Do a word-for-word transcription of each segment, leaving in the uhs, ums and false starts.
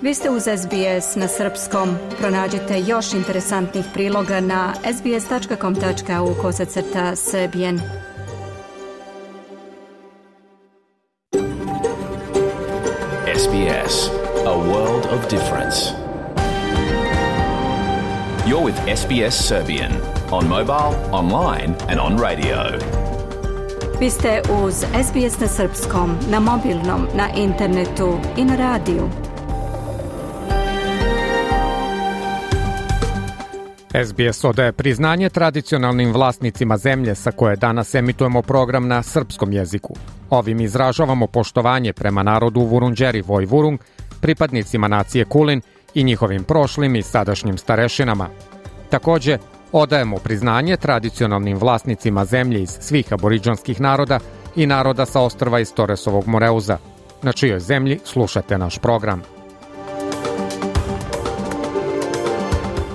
Vi ste uz S B S na srpskom. Pronađite još interesantnih priloga na sbs.com.au kosacrta srbijen. S B S, a world of difference. You're with S B S Serbian on mobile, online and on radio. Vi ste uz S B S na srpskom, na mobilnom, na internetu i na radiju. S B S odaje priznanje tradicionalnim vlasnicima zemlje sa koje danas emitujemo program na srpskom jeziku. Ovim izražavamo poštovanje prema narodu Vurundjeri Vojvurung, pripadnicima nacije Kulin i njihovim prošlim i sadašnjim starešinama. Takođe, odajemo priznanje tradicionalnim vlasnicima zemlje iz svih aboridžanskih naroda i naroda sa ostrva iz Toresovog Moreuza, na čijoj zemlji slušate naš program.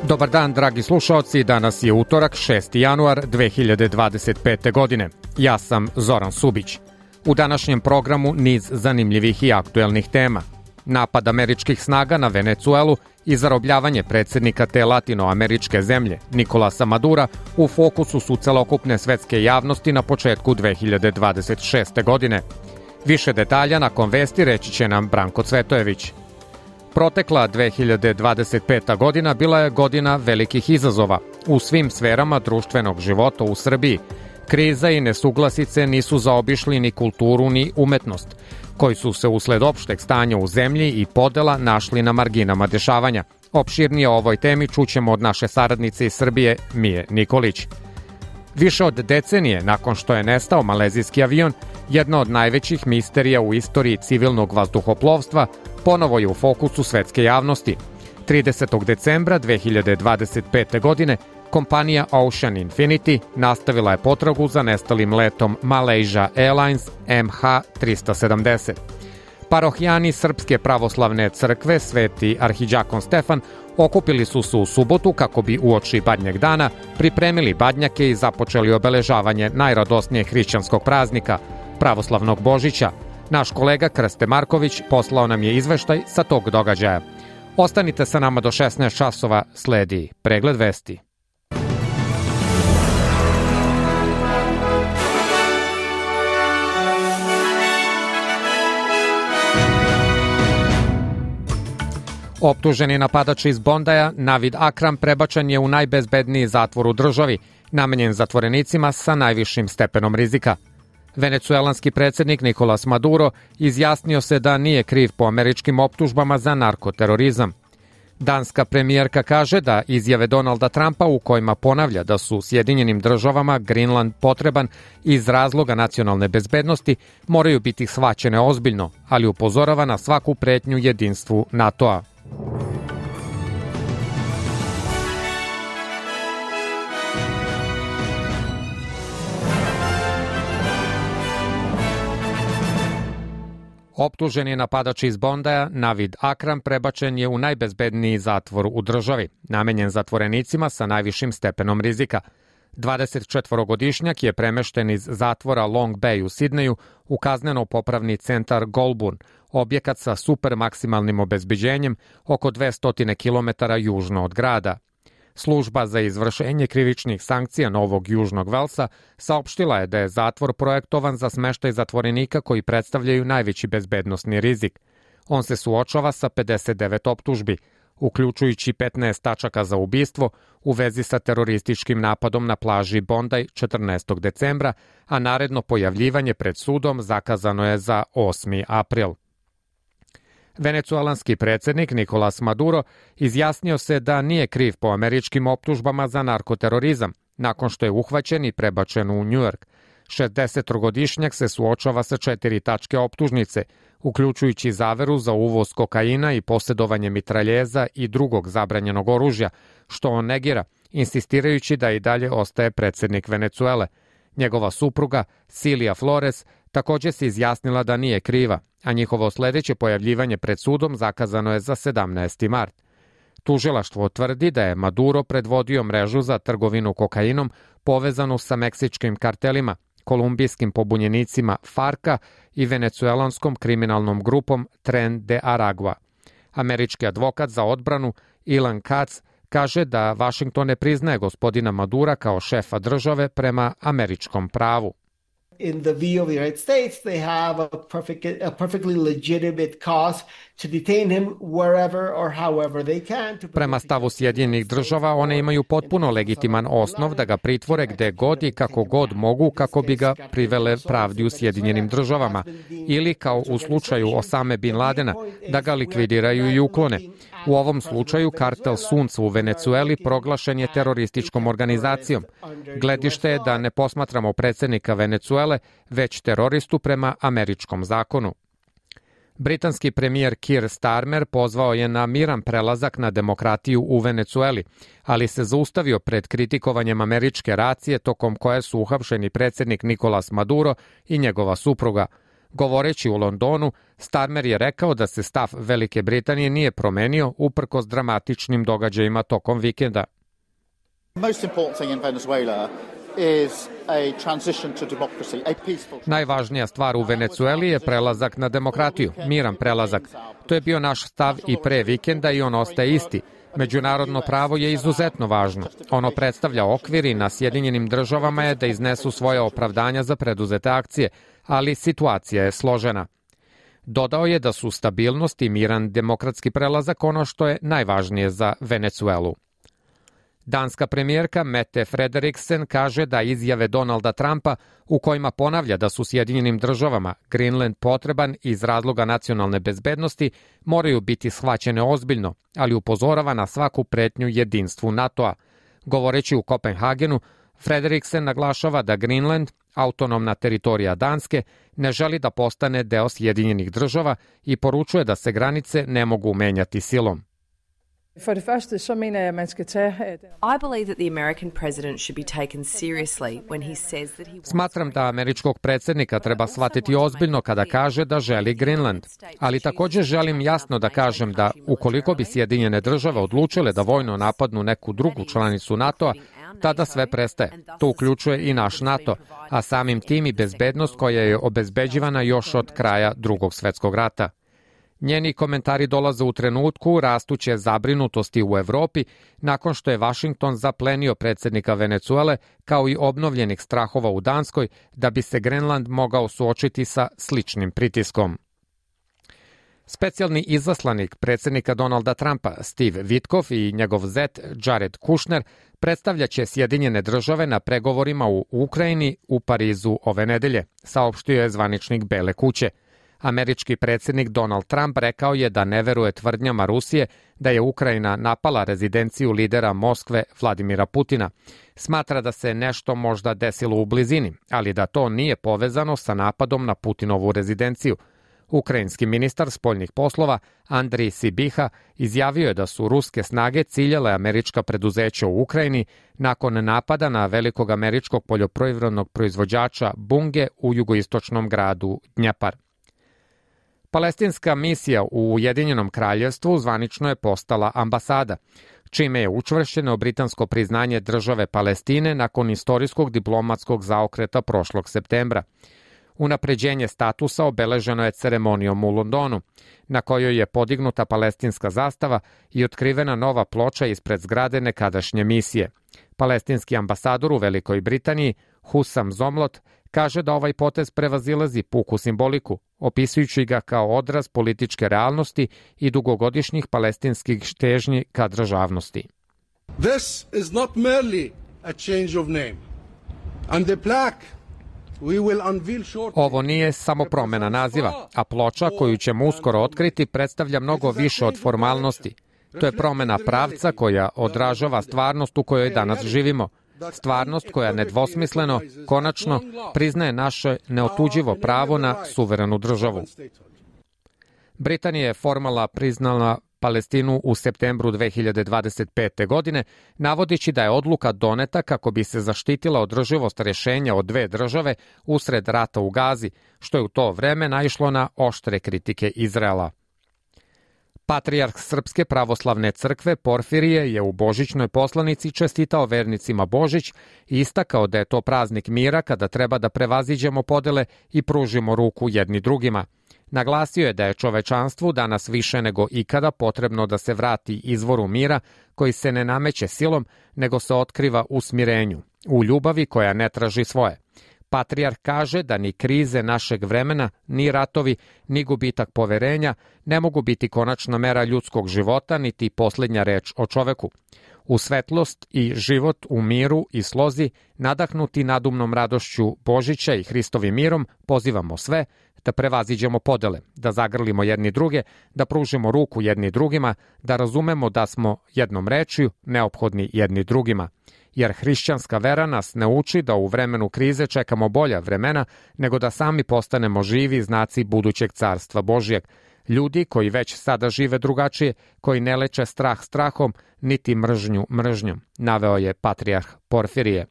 Dobar dan, dragi slušaoci, danas je utorak, šesti januar dve hiljade dvadeset pete. godine. Ja sam Zoran Subić. U današnjem programu niz zanimljivih i aktuelnih tema. Napad američkih snaga na Venecuelu i zarobljavanje predsjednika te latinoameričke zemlje, Nikolasa Madura, u fokusu su celokupne svetske javnosti na početku dve hiljade dvadeset šeste. godine. Više detalja nakon vesti reći će nam Branko Cvetojević. Protekla dve hiljade dvadeset peta. godina bila je godina velikih izazova u svim sferama društvenog života u Srbiji. Kriza i nesuglasice nisu zaobišli ni kulturu ni umetnost, koji su se usled opšteg stanja u zemlji i podela našli na marginama dešavanja. Opširnije o ovoj temi čućemo od naše saradnice iz Srbije, Mije Nikolić. Više od decenije nakon što je nestao malezijski avion, jedna od najvećih misterija u istoriji civilnog vazduhoplovstva ponovo je u fokusu svetske javnosti. tridesetog decembra dve hiljade dvadeset pete. godine kompanija Ocean Infinity nastavila je potragu za nestalim letom Malaysia Airlines M H tristo sedamdeset. Parohijani Srpske pravoslavne crkve Sveti arhidžakon Stefan okupili su se u subotu kako bi uoči Badnjeg dana pripremili badnjake i započeli obeležavanje najradosnijeg hrišćanskog praznika, pravoslavnog Božića. Naš kolega Krste Marković poslao nam je izveštaj sa tog događaja. Ostanite sa nama do šesnaest časova, sledi pregled vesti. Optuženi napadač iz Bondaja, Navid Akram, prebačen je u najbezbedniji zatvor u državi, namenjen zatvorenicima sa najvišim stepenom rizika. Venecuelanski predsjednik Nikolas Maduro izjasnio se da nije kriv po američkim optužbama za narkoterorizam. Danska premijerka kaže da izjave Donalda Trumpa u kojima ponavlja da su Sjedinjenim državama Grenland potreban iz razloga nacionalne bezbednosti moraju biti shvaćene ozbiljno, ali upozorava na svaku pretnju jedinstvu NATO-a. Optuženi napadač iz Bondaja, Navid Akram, prebačen je u najbezbedniji zatvor u državi, namenjen zatvorenicima sa najvišim stepenom rizika. dvadesetčetvorogodišnjak je premešten iz zatvora Long Bay u Sidneju u kazneno-popravni centar Goulburn, objekat sa super maksimalnim obezbeđenjem oko dvesta kilometara južno od grada. Služba za izvršenje krivičnih sankcija Novog Južnog Velsa saopštila je da je zatvor projektovan za smeštaj zatvorenika koji predstavljaju najveći bezbednosni rizik. On se suočava sa pedeset devet optužbi, uključujući petnaest tačaka za ubistvo u vezi sa terorističkim napadom na plaži Bondaj četrnaestog decembra, a naredno pojavljivanje pred sudom zakazano je za osmi april. Venecuelanski predsjednik Nikolas Maduro izjasnio se da nije kriv po američkim optužbama za narkoterorizam, nakon što je uhvaćen i prebačen u Njujork. šezdesetogodišnjak se suočava sa četiri tačke optužnice, uključujući zaveru za uvoz kokaina i posjedovanje mitraljeza i drugog zabranjenog oružja, što on negira, insistirajući da i dalje ostaje predsjednik Venecuele. Njegova supruga, Silija Flores, također se izjasnila da nije kriva, a njihovo sljedeće pojavljivanje pred sudom zakazano je za sedamnaesti mart. Tužilaštvo tvrdi da je Maduro predvodio mrežu za trgovinu kokainom povezanu sa meksičkim kartelima, kolumbijskim pobunjenicima Farka i venecuelanskom kriminalnom grupom Tren de Aragua. Američki advokat za odbranu Ilan Katz kaže da Vašington ne priznaje gospodina Madura kao šefa države prema američkom pravu. In the view of the United States, they have a, perfect, a perfectly legitimate cause to detain him wherever or however they can. Prema stavu Sjedinjenih država, one imaju potpuno legitiman osnov da ga pritvore gde god i kako god mogu kako bi ga privele pravdi u Sjedinjenim državama ili kao u slučaju Osame Bin Ladena, da ga likvidiraju i uklone. U ovom slučaju kartel Sunca u Venecueli proglašen je terorističkom organizacijom. Gledište je da ne posmatramo predsjednika Venecuele, već teroristu prema američkom zakonu. Britanski premijer Keir Starmer pozvao je na miran prelazak na demokratiju u Venecueli, ali se zaustavio pred kritikovanjem američke racije tokom koje su uhapšeni predsjednik Nicolas Maduro i njegova supruga. Govoreći u Londonu, Starmer je rekao da se stav Velike Britanije nije promenio uprkos dramatičnim događajima tokom vikenda. Najvažnija stvar u Venecueli je prelazak na demokratiju, miran prelazak. To je bio naš stav i pre vikenda i on ostaje isti. Međunarodno pravo je izuzetno važno. Ono predstavlja okvir i na Sjedinjenim državama je da iznesu svoje opravdanja za preduzete akcije, ali situacija je složena. Dodao je da su stabilnost i miran demokratski prelazak ono što je najvažnije za Venecuelu. Danska premijerka Mette Frederiksen kaže da izjave Donalda Trumpa u kojima ponavlja da su Sjedinjenim državama Greenland potreban iz razloga nacionalne bezbednosti moraju biti shvaćene ozbiljno, ali upozorava na svaku pretnju jedinstvu NATO-a. Govoreći u Kopenhagenu, Frederiksen naglašava da Greenland, autonomna teritorija Danske, ne želi da postane deo Sjedinjenih država i poručuje da se granice ne mogu menjati silom. For det første, så mener jeg, at man skal tage... I believe that the American president should be taken seriously when he says that he... Smatram da američkog predsjednika treba shvatiti ozbiljno kada kaže da želi Greenland. Ali također želim jasno da kažem da ukoliko bi Sjedinjene države odlučile da vojno napadnu neku drugu članicu NATO-a, tada sve prestaje. To uključuje i naš NATO, a samim tim i bezbednost koja je obezbeđivana još od kraja Drugog svjetskog rata. Njeni komentari dolaze u trenutku rastuće zabrinutosti u Evropi nakon što je Vašington zaplenio predsjednika Venecuele kao i obnovljenih strahova u Danskoj da bi se Grenland mogao suočiti sa sličnim pritiskom. Specijalni izaslanik predsjednika Donalda Trumpa Steve Witkoff i njegov zet Jared Kushner predstavljaće Sjedinjene države na pregovorima u Ukrajini u Parizu ove nedelje, saopštio je zvaničnik Bele kuće. Američki predsjednik Donald Trump rekao je da ne veruje tvrdnjama Rusije da je Ukrajina napala rezidenciju lidera Moskve Vladimira Putina. Smatra da se nešto možda desilo u blizini, ali da to nije povezano sa napadom na Putinovu rezidenciju. Ukrajinski ministar spoljnih poslova Andrij Sibiha izjavio je da su ruske snage ciljale američka preduzeća u Ukrajini nakon napada na velikog američkog poljoprivrednog proizvođača Bunge u jugoistočnom gradu Dnjepar. Palestinska misija u Ujedinjenom kraljevstvu zvanično je postala ambasada, čime je učvršćeno britansko priznanje države Palestine nakon istorijskog diplomatskog zaokreta prošlog septembra. Unapređenje statusa obeleženo je ceremonijom u Londonu, na kojoj je podignuta palestinska zastava i otkrivena nova ploča ispred zgrade nekadašnje misije. Palestinski ambasador u Velikoj Britaniji, Hussam Zomlot, kaže da ovaj potez prevazilazi puku simboliku, opisujući ga kao odraz političke realnosti i dugogodišnjih palestinskih težnji ka državnosti. This is not merely a change of name. And the plaque we will unveil shortly. Ovo nije samo promjena naziva, a ploča koju ćemo uskoro otkriti predstavlja mnogo više od formalnosti. To je promjena pravca koja odražava stvarnost u kojoj danas živimo. Stvarnost koja nedvosmisleno, konačno, priznaje naše neotuđivo pravo na suverenu državu. Britanija je formalno priznala Palestinu u septembru dve hiljade dvadeset pete. godine, navodići da je odluka doneta kako bi se zaštitila održivost rješenja od dve države usred rata u Gazi, što je u to vreme naišlo na oštre kritike Izraela. Patrijarh Srpske pravoslavne crkve Porfirije je u božićnoj poslanici čestitao vernicima Božić i istakao da je to praznik mira kada treba da prevaziđemo podele i pružimo ruku jedni drugima. Naglasio je da je čovečanstvu danas više nego ikada potrebno da se vrati izvoru mira koji se ne nameće silom, nego se otkriva u smirenju, u ljubavi koja ne traži svoje. Patrijarh kaže da ni krize našeg vremena, ni ratovi, ni gubitak poverenja ne mogu biti konačna mera ljudskog života, niti posljednja reč o čoveku. U svetlost i život u miru i slozi, nadahnuti nadumnom radošću Božića i Hristovim mirom, pozivamo sve da prevaziđemo podele, da zagrlimo jedni druge, da pružimo ruku jedni drugima, da razumemo da smo jednom rečju neophodni jedni drugima. Jer hrišćanska vera nas ne uči da u vremenu krize čekamo bolja vremena, nego da sami postanemo živi znaci budućeg carstva Božijeg. Ljudi koji već sada žive drugačije, koji ne leče strah strahom, niti mržnju mržnjom, naveo je patrijarh Porfirije.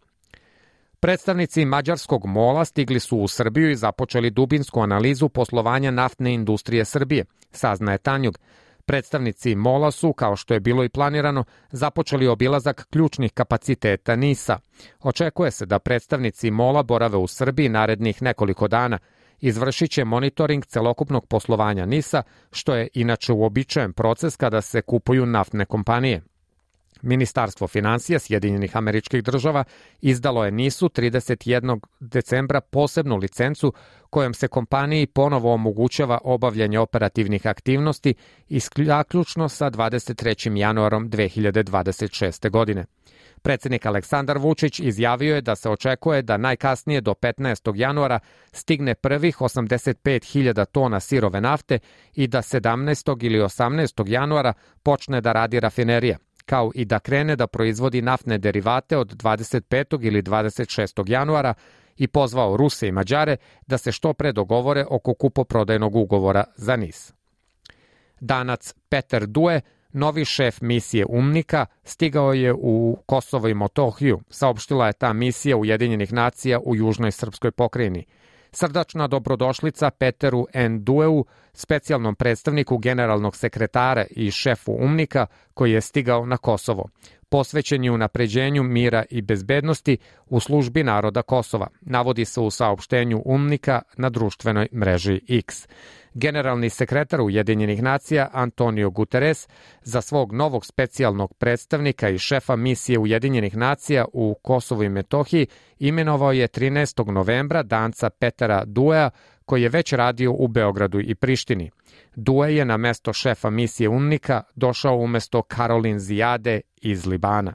Predstavnici mađarskog MOL-a stigli su u Srbiju i započeli dubinsku analizu poslovanja naftne industrije Srbije, saznaje Tanjug. Predstavnici MOL-a su, kao što je bilo i planirano, započeli obilazak ključnih kapaciteta NIS-a. Očekuje se da predstavnici MOL-a borave u Srbiji narednih nekoliko dana. Izvršit će monitoring celokupnog poslovanja NIS-a, što je inače uobičajen proces kada se kupuju naftne kompanije. Ministarstvo finansija Sjedinjenih Američkih Država izdalo je NIS-u trideset jednog decembra posebnu licencu kojom se kompaniji ponovo omogućava obavljanje operativnih aktivnosti isključno sa dvadeset trećim januarom dve hiljade dvadeset šeste. godine. Predsjednik Aleksandar Vučić izjavio je da se očekuje da najkasnije do petnaestog januara stigne prvih osamdeset pet hiljada tona sirove nafte i da sedamnaestog ili osamnaestog januara počne da radi rafinerija, kao i da krene da proizvodi naftne derivate od dvadeset petog ili dvadeset šestog januara i pozvao Ruse i Mađare da se što pre dogovore oko kupoprodajnog ugovora za NIS. Danac Peter Due, novi šef misije UNMIK-a, stigao je u Kosovo i Metohiju, saopštila je ta misija Ujedinjenih nacija u južnoj srpskoj pokrajini. Srdačna dobrodošlica Peteru N. Dueu, specijalnom predstavniku generalnog sekretara i šefu UNMIK-a koji je stigao na Kosovo. Posvećen je unapređenju mira i bezbednosti u službi naroda Kosova, navodi se u saopštenju UNMIK-a na društvenoj mreži X. Generalni sekretar Ujedinjenih nacija Antonio Guterres za svog novog specijalnog predstavnika i šefa misije Ujedinjenih nacija u Kosovu i Metohiji imenovao je trinaestog novembra danca Petera Duea, koji je već radio u Beogradu i Prištini. Due je na mesto šefa misije UNMIK-a došao umesto Karolin Zijade iz Libana.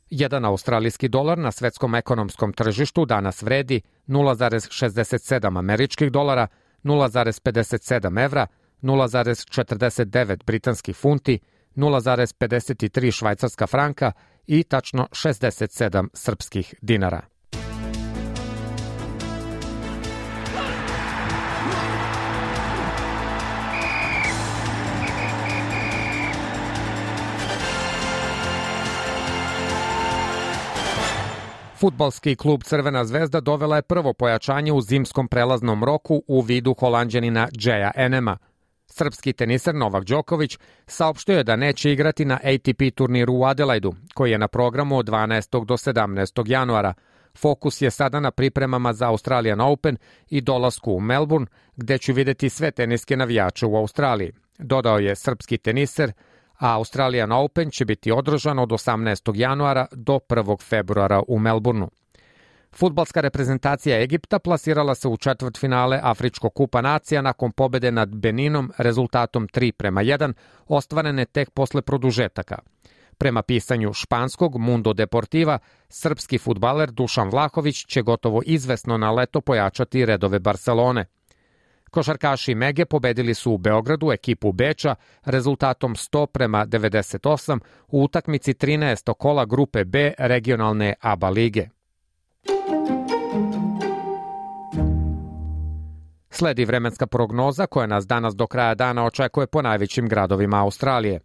Jedan australijski dolar na svetskom ekonomskom tržištu danas vredi nula zarez šezdeset sedam američkih dolara, nula zarez pedeset sedam evra, nula zarez četrdeset devet britanskih funti, nula zarez pedeset tri švajcarska franka i tačno šezdeset sedam srpskih dinara. Fudbalski klub Crvena zvezda dovela je prvo pojačanje u zimskom prelaznom roku u vidu Holanđanina Džeja Enema. Srpski teniser Novak Đoković saopštio je da neće igrati na A T P turniru u Adelaidu, koji je na programu od dvanaestog do sedamnaestog januara. Fokus je sada na pripremama za Australian Open i dolasku u Melbourne, gde ću videti sve teniske navijače u Australiji, dodao je srpski teniser, a Australian Open će biti održan od osamnaestog januara do prvog februara u Melbourneu. Fudbalska reprezentacija Egipta plasirala se u četvrtfinale Afričkog kupa nacija nakon pobede nad Beninom rezultatom tri prema jedan, ostvarene tek posle produžetaka. Prema pisanju španskog Mundo Deportiva, srpski fudbaler Dušan Vlahović će gotovo izvesno na leto pojačati redove Barcelone. Košarkaši Mege pobedili su u Beogradu ekipu Beča rezultatom sto prema devedeset osam u utakmici trinaestog kola grupe B regionalne A B A lige. Sledi vremenska prognoza koja nas danas do kraja dana očekuje po najvećim gradovima Australije.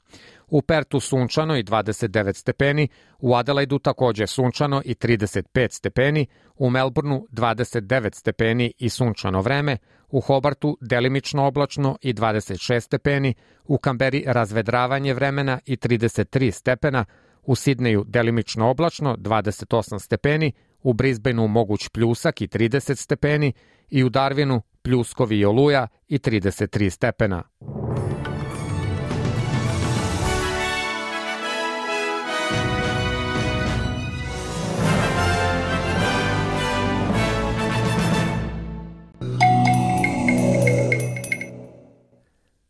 U Pertu sunčano i dvadeset devet stepeni, u Adelaidu takođe sunčano i trideset pet stepeni, u Melbourneu dvadeset devet stepeni i sunčano vreme, u Hobartu delimično oblačno i dvadeset šest stepeni, u Kamberi razvedravanje vremena i trideset tri stepena, u Sidneju delimično oblačno dvadeset osam stepeni, u Brisbaneu moguć pljusak i trideset stepeni i u Darwinu pljuskovi i oluja i trideset tri stepena.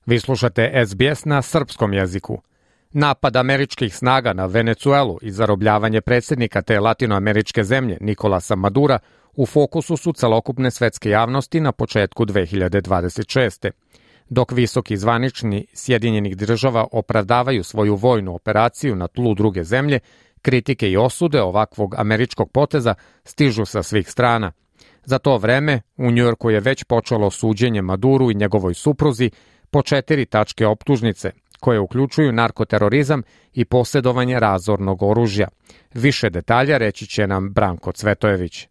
Vi slušate S B S na srpskom jeziku. Napad američkih snaga na Venecuelu i zarobljavanje predsjednika te latinoameričke zemlje Nikolasa Madura u fokusu su celokupne svetske javnosti na početku dve hiljade dvadeset šeste. Dok visoki zvanični Sjedinjenih država opravdavaju svoju vojnu operaciju na tlu druge zemlje, kritike i osude ovakvog američkog poteza stižu sa svih strana. Za to vreme u Njujorku je već počelo suđenje Maduru i njegovoj supruzi po četiri tačke optužnice, koje uključuju narkoterorizam i posjedovanje razornog oružja. Više detalja reći će nam Branko Cvetojević.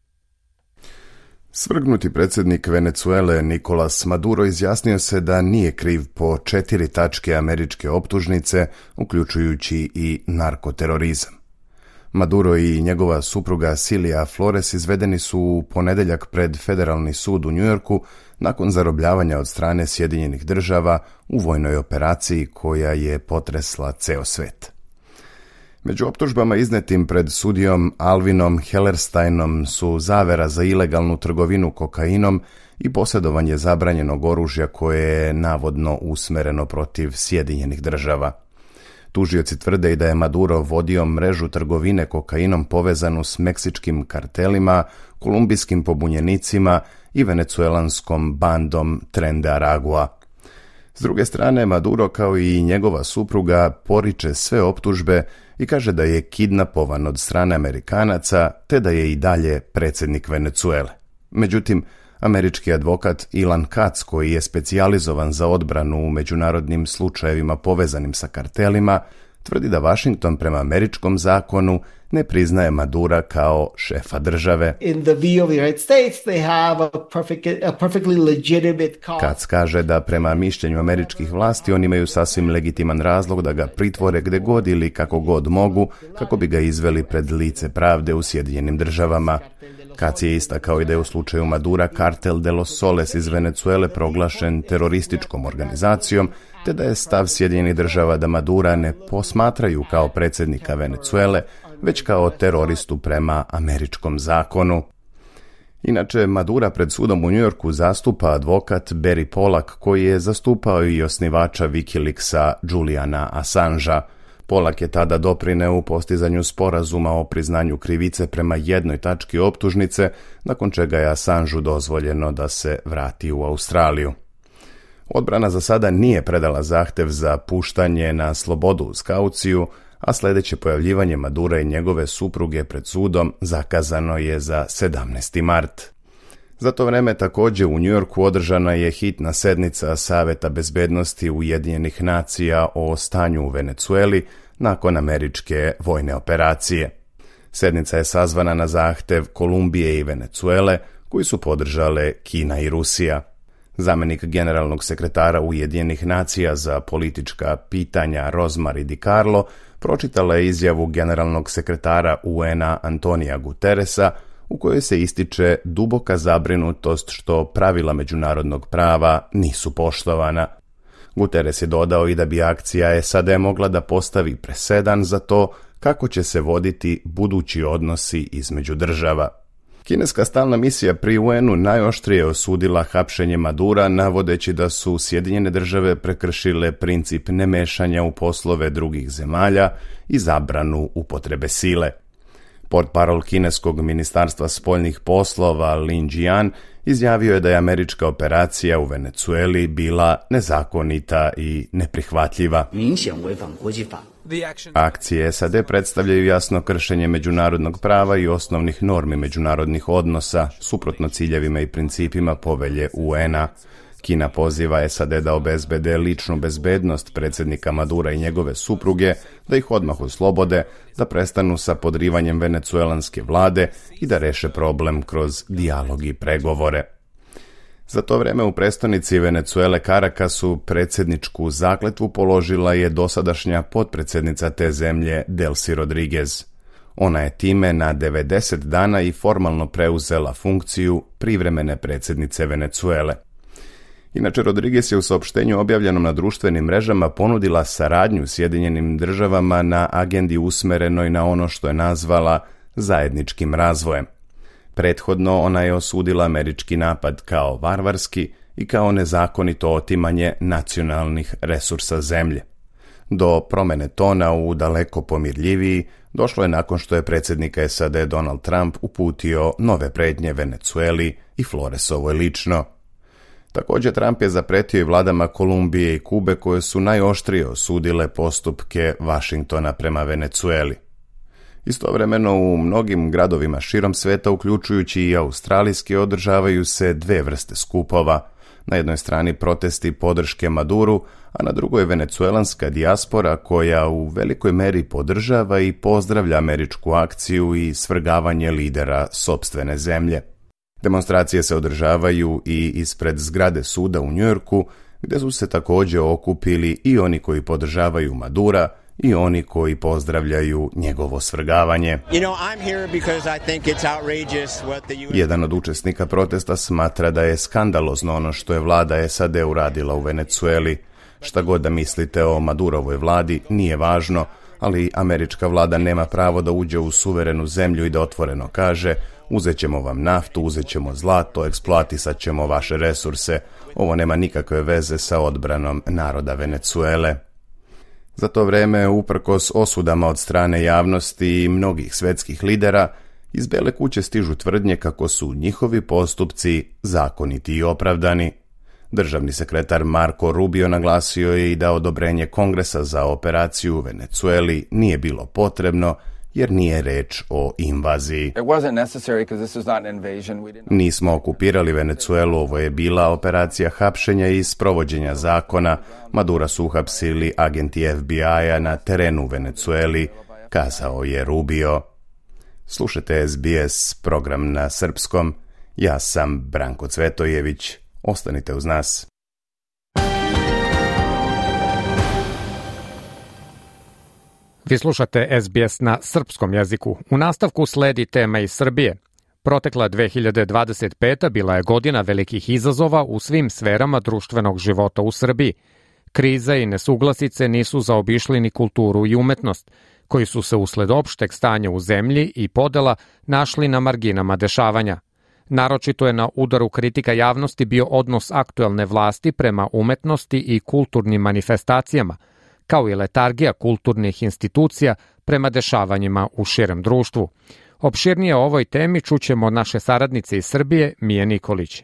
Svrgnuti predsjednik Venecuele Nicolas Maduro izjasnio se da nije kriv po četiri tačke američke optužnice, uključujući i narkoterorizam. Maduro i njegova supruga Cilia Flores izvedeni su u ponedeljak pred Federalni sud u Njujorku nakon zarobljavanja od strane Sjedinjenih država u vojnoj operaciji koja je potresla ceo svet. Među optužbama iznetim pred sudijom Alvinom Hellersteinom su zavera za ilegalnu trgovinu kokainom i posjedovanje zabranjenog oružja koje je navodno usmereno protiv Sjedinjenih država. Tužioci tvrde i da je Maduro vodio mrežu trgovine kokainom povezanu s meksičkim kartelima, kolumbijskim pobunjenicima i venecuelanskom bandom Tren de Aragua. S druge strane, Maduro kao i njegova supruga poriče sve optužbe i kaže da je kidnapovan od strane Amerikanaca te da je i dalje predsjednik Venecuele. Međutim, američki advokat Ilan Katz, koji je specijalizovan za odbranu u međunarodnim slučajevima povezanim sa kartelima, tvrdi da Washington prema američkom zakonu ne priznaje Madura kao šefa države. In the view of the United States, they have a, perfect, a perfectly legitimate cause. Katz kaže da prema mišljenju američkih vlasti oni imaju sasvim legitiman razlog da ga pritvore gde god ili kako god mogu, kako bi ga izveli pred lice pravde u Sjedinjenim državama. Katz je istakao i da je u slučaju Madura Kartel de los Soles iz Venecuele proglašen terorističkom organizacijom, te da je stav Sjedinjenih država da Madura ne posmatraju kao predsjednika Venecuele, već kao teroristu prema američkom zakonu. Inače, Madura pred sudom u Njujorku zastupa advokat Barry Pollack, koji je zastupao i osnivača Wikileaksa Juliana Assangea. Pollack je tada doprineo u postizanju sporazuma o priznanju krivice prema jednoj tački optužnice, nakon čega je Assangeu dozvoljeno da se vrati u Australiju. Odbrana za sada nije predala zahtev za puštanje na slobodu uz kauciju, a sljedeće pojavljivanje Madura i njegove supruge pred sudom zakazano je za sedamnaesti mart. Za to vreme također u Njujorku održana je hitna sednica Saveta bezbednosti Ujedinjenih nacija o stanju u Venecueli nakon američke vojne operacije. Sednica je sazvana na zahtev Kolumbije i Venecuele, koji su podržale Kina i Rusija. Zamenik generalnog sekretara Ujedinjenih nacija za politička pitanja Rosemary DiCarlo pročitala je izjavu generalnog sekretara U N-a Antonija Guterresa, u kojoj se ističe duboka zabrinutost što pravila međunarodnog prava nisu poštovana. Guterres je dodao i da bi akcija S A D mogla da postavi presedan za to kako će se voditi budući odnosi između država. Kineska stalna misija pri U N-u najoštrije osudila hapšenje Madura, navodeći da su Sjedinjene države prekršile princip nemešanja u poslove drugih zemalja i zabranu upotrebe sile. Portparol kineskog ministarstva spoljnih poslova Lin Jian izjavio je da je američka operacija u Venecueli bila nezakonita i neprihvatljiva. Akcije S A D predstavljaju jasno kršenje međunarodnog prava i osnovnih normi međunarodnih odnosa, suprotno ciljevima i principima povelje U N-a. Kina poziva S A D da obezbede ličnu bezbednost predsjednika Madura i njegove supruge, da ih odmah oslobode, da prestanu sa podrivanjem venecuelanske vlade i da reše problem kroz dijalog i pregovore. Za to vreme u prestonici Venecuele Caracasu predsjedničku zakletvu položila je dosadašnja potpredsjednica te zemlje Delcy Rodriguez. Ona je time na devedeset dana i formalno preuzela funkciju privremene predsjednice Venecuele. Inače, Rodriguez je u saopštenju objavljenom na društvenim mrežama ponudila saradnju Sjedinjenim državama na agendi usmerenoj na ono što je nazvala zajedničkim razvojem. Prethodno ona je osudila američki napad kao varvarski i kao nezakonito otimanje nacionalnih resursa zemlje. Do promene tona u daleko pomirljiviji došlo je nakon što je predsjednik S A D Donald Trump uputio nove pretnje Venecueli i Floresovoj lično. Također Trump je zapretio i vladama Kolumbije i Kube koje su najoštrije osudile postupke Vašingtona prema Venecueli. Istovremeno u mnogim gradovima širom sveta, uključujući i australijski, održavaju se dve vrste skupova. Na jednoj strani protesti podrške Maduru, a na drugoj venecuelanska dijaspora koja u velikoj meri podržava i pozdravlja američku akciju i svrgavanje lidera sopstvene zemlje. Demonstracije se održavaju i ispred zgrade suda u Njujorku, gdje su se također okupili i oni koji podržavaju Madura i oni koji pozdravljaju njegovo svrgavanje. You know, I'm here because I think it's outrageous what the U S... Jedan od učesnika protesta smatra da je skandalozno ono što je vlada S A D uradila u Venecueli. Šta god da mislite o Madurovoj vladi, nije važno, ali američka vlada nema pravo da uđe u suverenu zemlju i da otvoreno kaže: uzet ćemo vam naftu, uzet ćemo zlato, eksploatisat ćemo vaše resurse. Ovo nema nikakve veze sa odbranom naroda Venecuele. Za to vreme, uprkos osudama od strane javnosti i mnogih svetskih lidera, iz Bele kuće stižu tvrdnje kako su njihovi postupci zakoniti i opravdani. Državni sekretar Marco Rubio naglasio je i da odobrenje Kongresa za operaciju u Venecueli nije bilo potrebno, jer nije reč o invaziji. Nismo okupirali Venecuelu, ovo je bila operacija hapšenja i sprovođenja zakona. Madura su uhapsili agenti F B I-a na terenu u Venecueli, kazao je Rubio. Slušajte S B S program na srpskom. Ja sam Branko Cvetojević. Ostanite uz nas. Vi slušate S B S na srpskom jeziku. U nastavku sledi tema iz Srbije. Protekla dve hiljade dvadeset peta bila je godina velikih izazova u svim sferama društvenog života u Srbiji. Kriza i nesuglasice nisu zaobišli ni kulturu i umetnost, koji su se usled opšteg stanja u zemlji i podela našli na marginama dešavanja. Naročito je na udaru kritika javnosti bio odnos aktuelne vlasti prema umetnosti i kulturnim manifestacijama, kao i letargija kulturnih institucija prema dešavanjima u širem društvu. Opširnije o ovoj temi čućemo od naše saradnice iz Srbije, Mije Nikolić.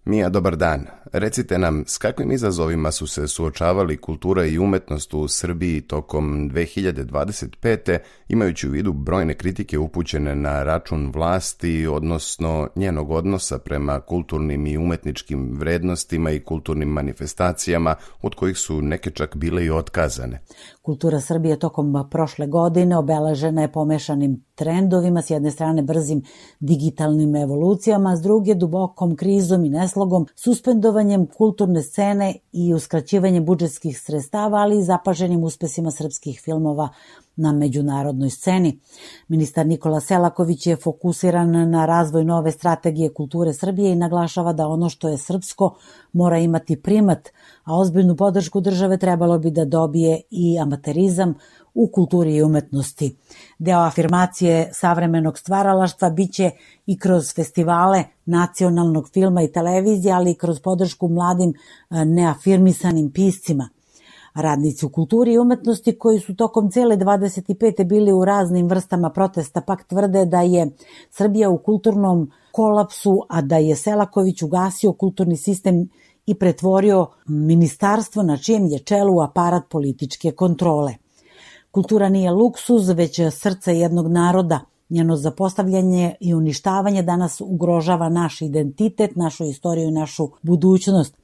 Mija, dobar dan. Recite nam, s kakvim izazovima su se suočavali kultura i umetnost u Srbiji tokom dve hiljade dvadeset pete, imajući u vidu brojne kritike upućene na račun vlasti, odnosno njenog odnosa prema kulturnim i umetničkim vrednostima i kulturnim manifestacijama, od kojih su neke čak bile i otkazane. Kultura Srbije tokom prošle godine obeležena je pomešanim trendovima, s jedne strane brzim digitalnim evolucijama, a s druge dubokom krizom i neslogom, suspendovanjem kulturne scene i uskraćivanjem budžetskih sredstava, ali i zapaženim uspesima srpskih filmova na međunarodnoj sceni. Ministar Nikola Selaković je fokusiran na razvoj nove strategije kulture Srbije i naglašava da ono što je srpsko mora imati primat, a ozbiljnu podršku države trebalo bi da dobije i amaterizam u kulturi i umetnosti. Deo afirmacije savremenog stvaralaštva biće i kroz festivale nacionalnog filma i televizije, ali i kroz podršku mladim neafirmisanim piscima. Radnici u kulturi i umetnosti koji su tokom cele dvadeset pete bili u raznim vrstama protesta pak tvrde da je Srbija u kulturnom kolapsu, a da je Selaković ugasio kulturni sistem i pretvorio ministarstvo na čijem je čelu aparat političke kontrole. Kultura nije luksuz, već srce jednog naroda. Njeno zapostavljanje i uništavanje danas ugrožava naš identitet, našu istoriju i našu budućnost.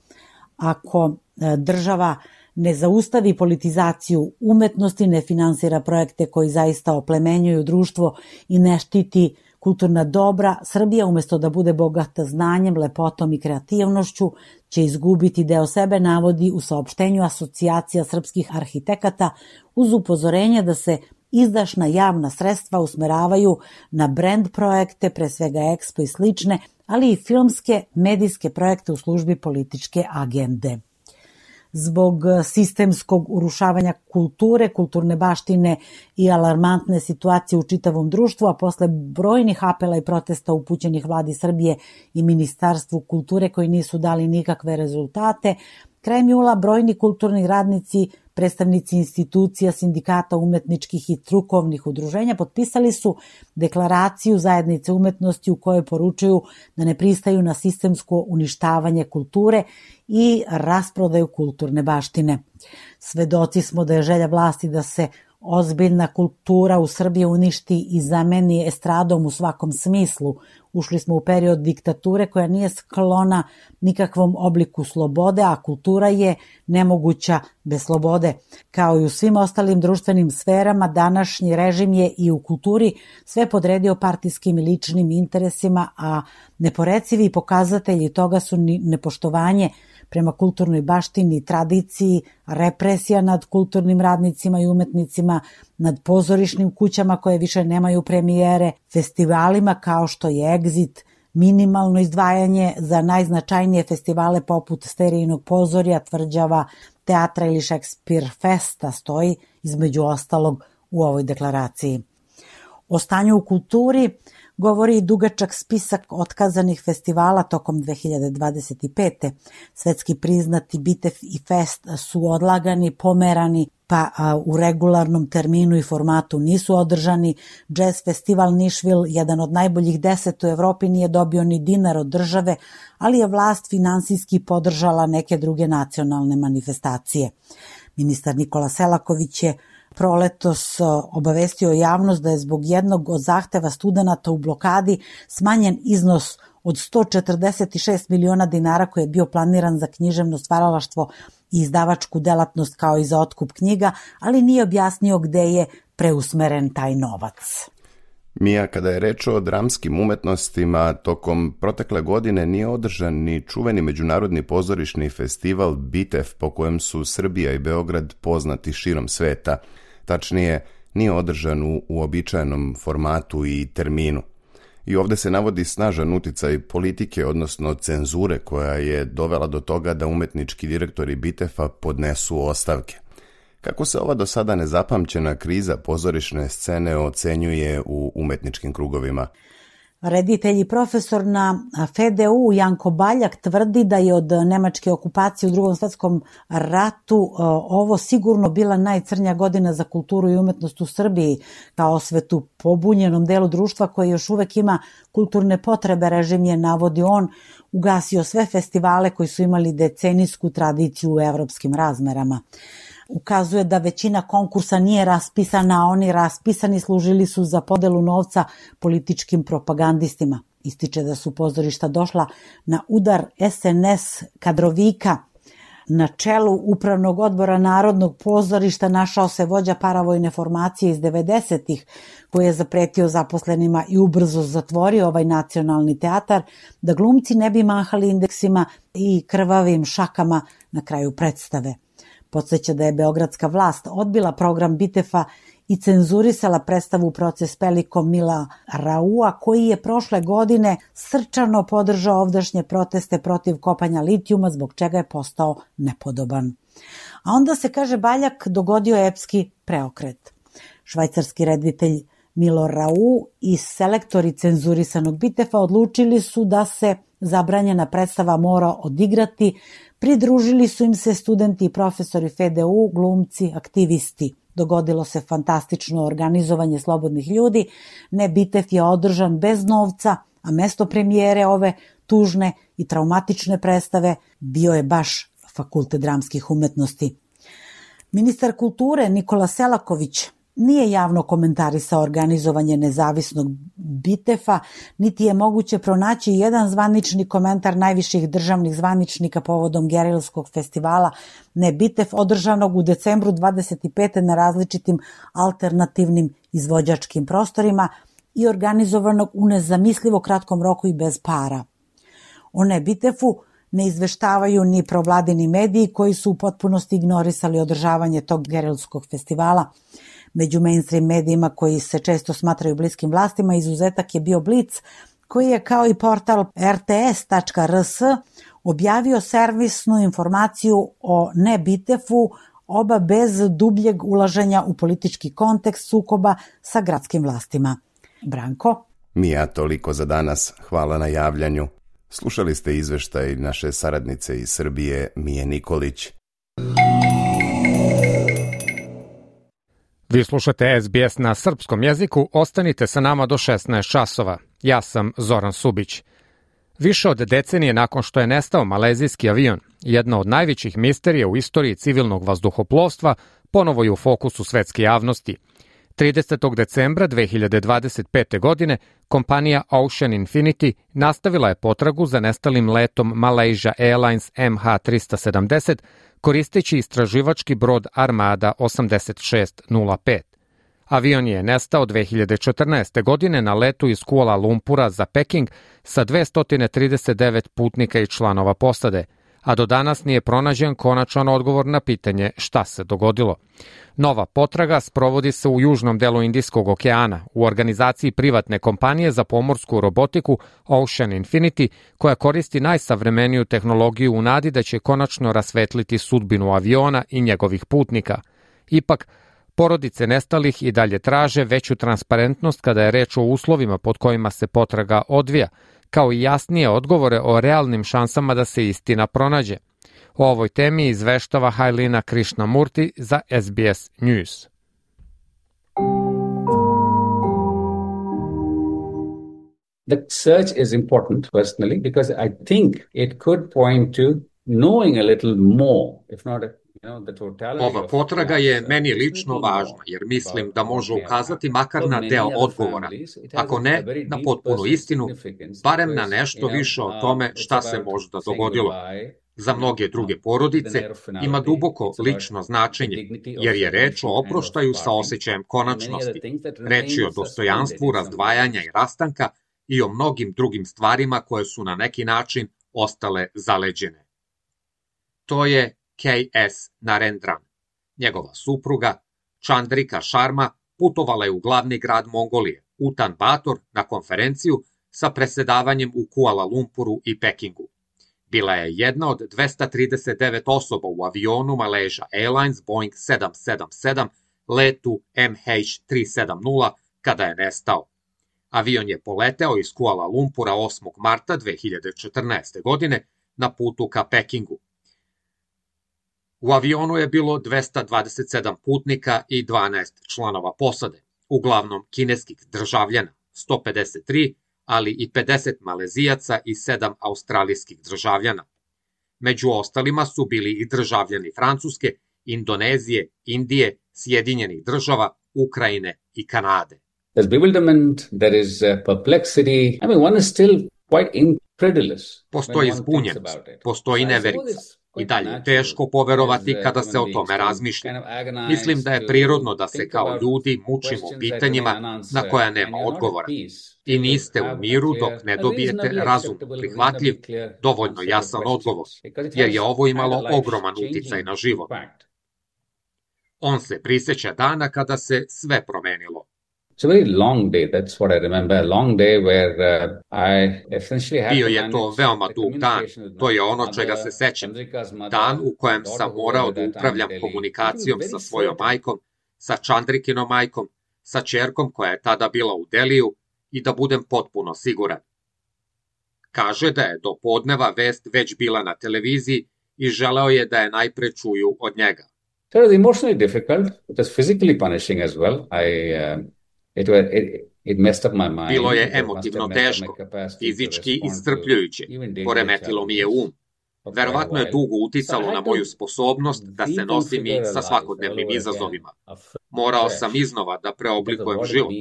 Ako država ne zaustavi politizaciju umetnosti, ne finansira projekte koji zaista oplemenjuju društvo i ne štiti kulturna dobra, Srbija umesto da bude bogata znanjem, lepotom i kreativnošću će izgubiti deo sebe, navodi u saopštenju Asocijacija srpskih arhitekata uz upozorenje da se izdašna javna sredstva usmeravaju na brand projekte, pre svega Expo i slične, ali i filmske, medijske projekte u službi političke agende. Zbog sistemskog urušavanja kulture, kulturne baštine i alarmantne situacije u čitavom društvu, a posle brojnih apela i protesta upućenih vladi Srbije i Ministarstvu kulture koji nisu dali nikakve rezultate, krajem jula brojni kulturni radnici, predstavnici institucija, sindikata, umetničkih i strukovnih udruženja potpisali su deklaraciju zajednice umetnosti u kojoj poručuju da ne pristaju na sistemsko uništavanje kulture i rasprodaju kulturne baštine. Svedoci smo da je želja vlasti da se ozbiljna kultura u Srbiji uništi i zameni estradom u svakom smislu. Ušli smo u period diktature koja nije sklona nikakvom obliku slobode, a kultura je nemoguća bez slobode. Kao i u svim ostalim društvenim sferama, današnji režim je i u kulturi sve podredio partijskim i ličnim interesima, a neporecivi pokazatelji toga su nepoštovanje prema kulturnoj baštini i tradiciji, represija nad kulturnim radnicima i umetnicima, nad pozorišnim kućama koje više nemaju premijere, festivalima kao što je Exit, minimalno izdvajanje za najznačajnije festivale poput Sterijinog pozorja, Tvrđava, Teatra ili Šekspir Festa stoji između ostalog u ovoj deklaraciji. O stanju u kulturi govori i dugačak spisak otkazanih festivala tokom dve hiljade dvadeset pete. Svetski priznati Bitev i Fest su odlagani, pomerani, pa u regularnom terminu i formatu nisu održani. Jazz festival Nišvil, jedan od najboljih deset u Evropi, nije dobio ni dinar od države, ali je vlast finansijski podržala neke druge nacionalne manifestacije. Ministar Nikola Selaković je proletos obavestio javnost da je zbog jednog od zahteva studenata u blokadi smanjen iznos od sto četrdeset šest miliona dinara koji je bio planiran za književno stvaralaštvo i izdavačku delatnost kao i za otkup knjiga, ali nije objasnio gde je preusmeren taj novac. Mija, kada je reč o dramskim umetnostima, tokom protekle godine nije održan ni čuveni međunarodni pozorišni festival Bitev, po kojem su Srbija i Beograd poznati širom sveta. Tačnije, nije održan u uobičajenom formatu i terminu. I ovde se navodi snažan uticaj politike, odnosno cenzure, koja je dovela do toga da umetnički direktori Bitefa podnesu ostavke. Kako se ova do sada nezapamćena kriza pozorišne scene ocenjuje u umetničkim krugovima? Reditelj i profesor na F E D U Janko Baljak tvrdi da je od nemačke okupacije u Drugom svetskom ratu ovo sigurno bila najcrnja godina za kulturu i umetnost u Srbiji, kao osvetu pobunjenom delu društva koji još uvek ima kulturne potrebe. Režim je, navodi on, ugasio sve festivale koji su imali decenijsku tradiciju u evropskim razmerama. Ukazuje da većina konkursa nije raspisana, a oni raspisani služili su za podelu novca političkim propagandistima. Ističe da su pozorišta došla na udar S N S kadrovika. Na čelu Upravnog odbora Narodnog pozorišta našao se vođa paravojne formacije iz devedesetih koji je zapretio zaposlenima i ubrzo zatvorio ovaj nacionalni teatar da glumci ne bi mahali indeksima i krvavim šakama na kraju predstave. Podsjeća da je beogradska vlast odbila program Bitefa i cenzurisala predstavu Proces Pelikom Mila Raua, koji je prošle godine srčano podržao ovdašnje proteste protiv kopanja litijuma, zbog čega je postao nepodoban. A onda se, kaže Baljak, dogodio epski preokret. Švajcarski reditelj Milo Rau i selektori cenzurisanog Bitefa odlučili su da se zabranjena predstava mora odigrati. Pridružili su im se studenti i profesori F E D U, glumci, aktivisti. Dogodilo se fantastično organizovanje slobodnih ljudi. Ne, Bitev je održan bez novca, a mesto premijere ove tužne i traumatične predstave bio je baš Fakultet dramskih umetnosti. Ministar kulture Nikola Selaković nije javno komentarisao organizovanje nezavisnog Bitefa, niti je moguće pronaći jedan zvanični komentar najviših državnih zvaničnika povodom gerilskog festivala Ne Bitef održanog u decembru dvadeset pete na različitim alternativnim izvođačkim prostorima i organizovanog u nezamislivo kratkom roku i bez para. O Ne Bitefu ne izveštavaju ni provladini mediji koji su u potpunosti ignorisali održavanje tog gerilskog festivala. Među mainstream medijima koji se često smatraju bliskim vlastima izuzetak je bio Blic, koji je kao i portal er te es tačka er es objavio servisnu informaciju o Ne Bitefu, oba bez dubljeg ulaženja u politički kontekst sukoba sa gradskim vlastima. Branko? Mija, toliko za danas. Hvala na javljanju. Slušali ste izveštaj naše saradnice iz Srbije, Mije Nikolić. Vi slušate es be es na srpskom jeziku, ostanite sa nama do šesnaest časova. Ja sam Zoran Subić. Više od decenije nakon što je nestao malezijski avion, jedna od najvećih misterija u istoriji civilnog vazduhoplovstva, ponovo je u fokusu svetske javnosti. tridesetog decembra dve hiljade dvadeset pete. godine kompanija Ocean Infinity nastavila je potragu za nestalim letom Malaysia Airlines em ha trista sedamdeset, koristeći istraživački brod Armada osamdeset šest nula pet. Avion je nestao dve hiljade četrnaeste. godine na letu iz Kuala Lumpura za Peking sa dvesta trideset devet putnika i članova posade, a do danas nije pronađen konačan odgovor na pitanje šta se dogodilo. Nova potraga sprovodi se u južnom delu Indijskog okeana u organizaciji privatne kompanije za pomorsku robotiku Ocean Infinity, koja koristi najsavremeniju tehnologiju u nadi da će konačno rasvetliti sudbinu aviona i njegovih putnika. Ipak, porodice nestalih i dalje traže veću transparentnost kada je reč o uslovima pod kojima se potraga odvija, kao i jasnije odgovore o realnim šansama da se istina pronađe. O ovoj temi izveštava Hailina Krishnamurti za es be es News. The search is important personally because I think it could point to knowing a little more, if not a Ova potraga je meni lično važna, jer mislim da može ukazati makar na deo odgovora, ako ne na potpunu istinu, barem na nešto više o tome šta se možda dogodilo. Za mnoge druge porodice ima duboko lično značenje, jer je reč o oproštaju sa osjećajem konačnosti, reč je o dostojanstvu razdvajanja i rastanka i o mnogim drugim stvarima koje su na neki način ostale zaleđene. To je K S Narendran. Njegova supruga, Chandrika Sharma, putovala je u glavni grad Mongolije, Ulan Bator, na konferenciju sa presedavanjem u Kuala Lumpuru i Pekingu. Bila je jedna od dvesta trideset devet osoba u avionu Malaysia Airlines Boeing sedam sedam sedam letu em ha tristo sedamdeset kada je nestao. Avion je poleteo iz Kuala Lumpura osmog marta dve hiljade četrnaeste. godine na putu ka Pekingu. U avionu je bilo dvesta dvadeset sedam putnika i dvanaest članova posade, uglavnom kineskih državljana, sto pedeset tri, ali i pedeset Malezijaca i sedam australijskih državljana. Među ostalima su bili i državljani Francuske, Indonezije, Indije, Sjedinjenih država, Ukrajine i Kanade. There's bewilderment, there is perplexity. I mean, one is still quite incredulous. Postoji zbunjenost, postoji neverica. I dalje je teško poverovati kada se o tome razmišlja. Mislim da je prirodno da se kao ljudi mučimo pitanjima na koja nema odgovora. I niste u miru dok ne dobijete razum prihvatljiv, dovoljno jasan odgovor, jer je ovo imalo ogroman uticaj na život. On se prisjeća dana kada se sve promenilo. It's a very long day, that's what I remember, a long day where uh, I essentially had Bio je to veoma dug dan, to je ono čega se sećam. Dan u kojem sam morao da upravljam komunikacijom sa svojom majkom, sa Chandrikinom majkom, sa ćerkom koja je tada bila u Deliju i da budem potpuno siguran. Kaže da je do podneva vest već bila na televiziji i želeo je da je najpre čuju od njega. So it was emotionally difficult, it was physically punishing as well. I... Uh, It was, it, It messed up my mind. Bilo je emotivno teško, fizički iscrpljujuće, poremetilo mi je um. Verovatno je dugo uticalo na moju sposobnost da se nosim i sa svakodnevnim izazovima. Morao sam iznova da preoblikujem život,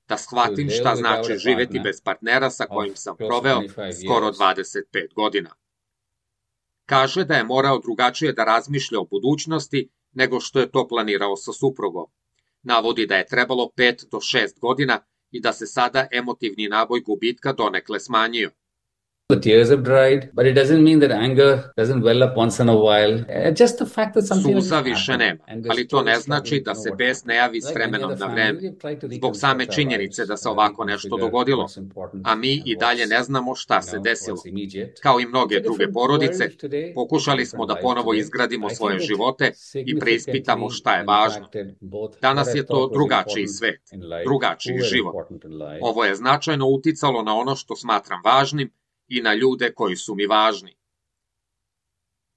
da shvatim šta znači živeti bez partnera sa kojim sam proveo skoro dvadeset pet godina. Kaže da je morao drugačije da razmišlja o budućnosti nego što je to planirao sa suprugom. Navodi da je trebalo pet do šest godina i da se sada emotivni naboj gubitka donekle smanjio. The tears have dried, but it doesn't mean that anger doesn't well up once in a while. Just the fact that something Suza više nema, ali to ne znači da se bes ne javi s vremenom na vreme, zbog same činjenice da se ovako nešto dogodilo, a mi i dalje ne znamo šta se desilo. Kao i mnoge druge porodice, pokušali smo da ponovo izgradimo svoje živote i preispitamo šta je važno. Danas je to drugačiji svet, drugačiji život. Ovo je značajno uticalo na ono što smatram važnim i na ljude koji su mi važni.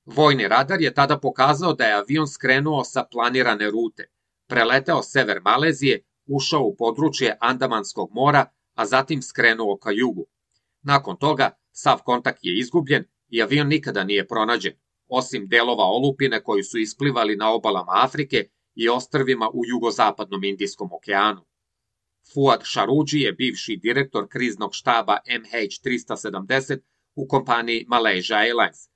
Vojni radar je tada pokazao da je avion skrenuo sa planirane rute, preleteo sever Malezije, ušao u područje Andamanskog mora, a zatim skrenuo ka jugu. Nakon toga, sav kontakt je izgubljen i avion nikada nije pronađen, osim delova olupine koji su isplivali na obalama Afrike i ostrvima u jugozapadnom Indijskom okeanu. Fuad Šaruđi je bivši direktor kriznog štaba M H tristo sedamdeset u kompaniji Malaysia Airlines.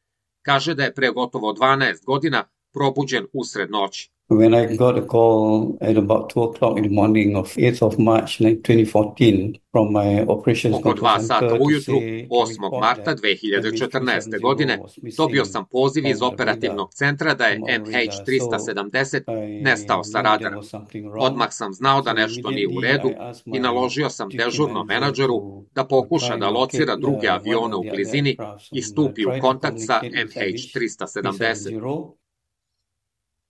Kaže da je pre gotovo dvanaest godina probuđen usred noći. When I got a call at about two o'clock in the morning of eighth of March twenty fourteen from my operations Oko dva sata ujutru, osmog marta dve hiljade četrnaeste. godine, dobio sam poziv iz operativnog centra da je M H tristo sedamdeset nestao sa radara. Odmah sam znao da nešto nije u redu i naložio sam dežurnom menadžeru da pokuša da locira druge avione u blizini i stupi u kontakt sa M H tristo sedamdeset.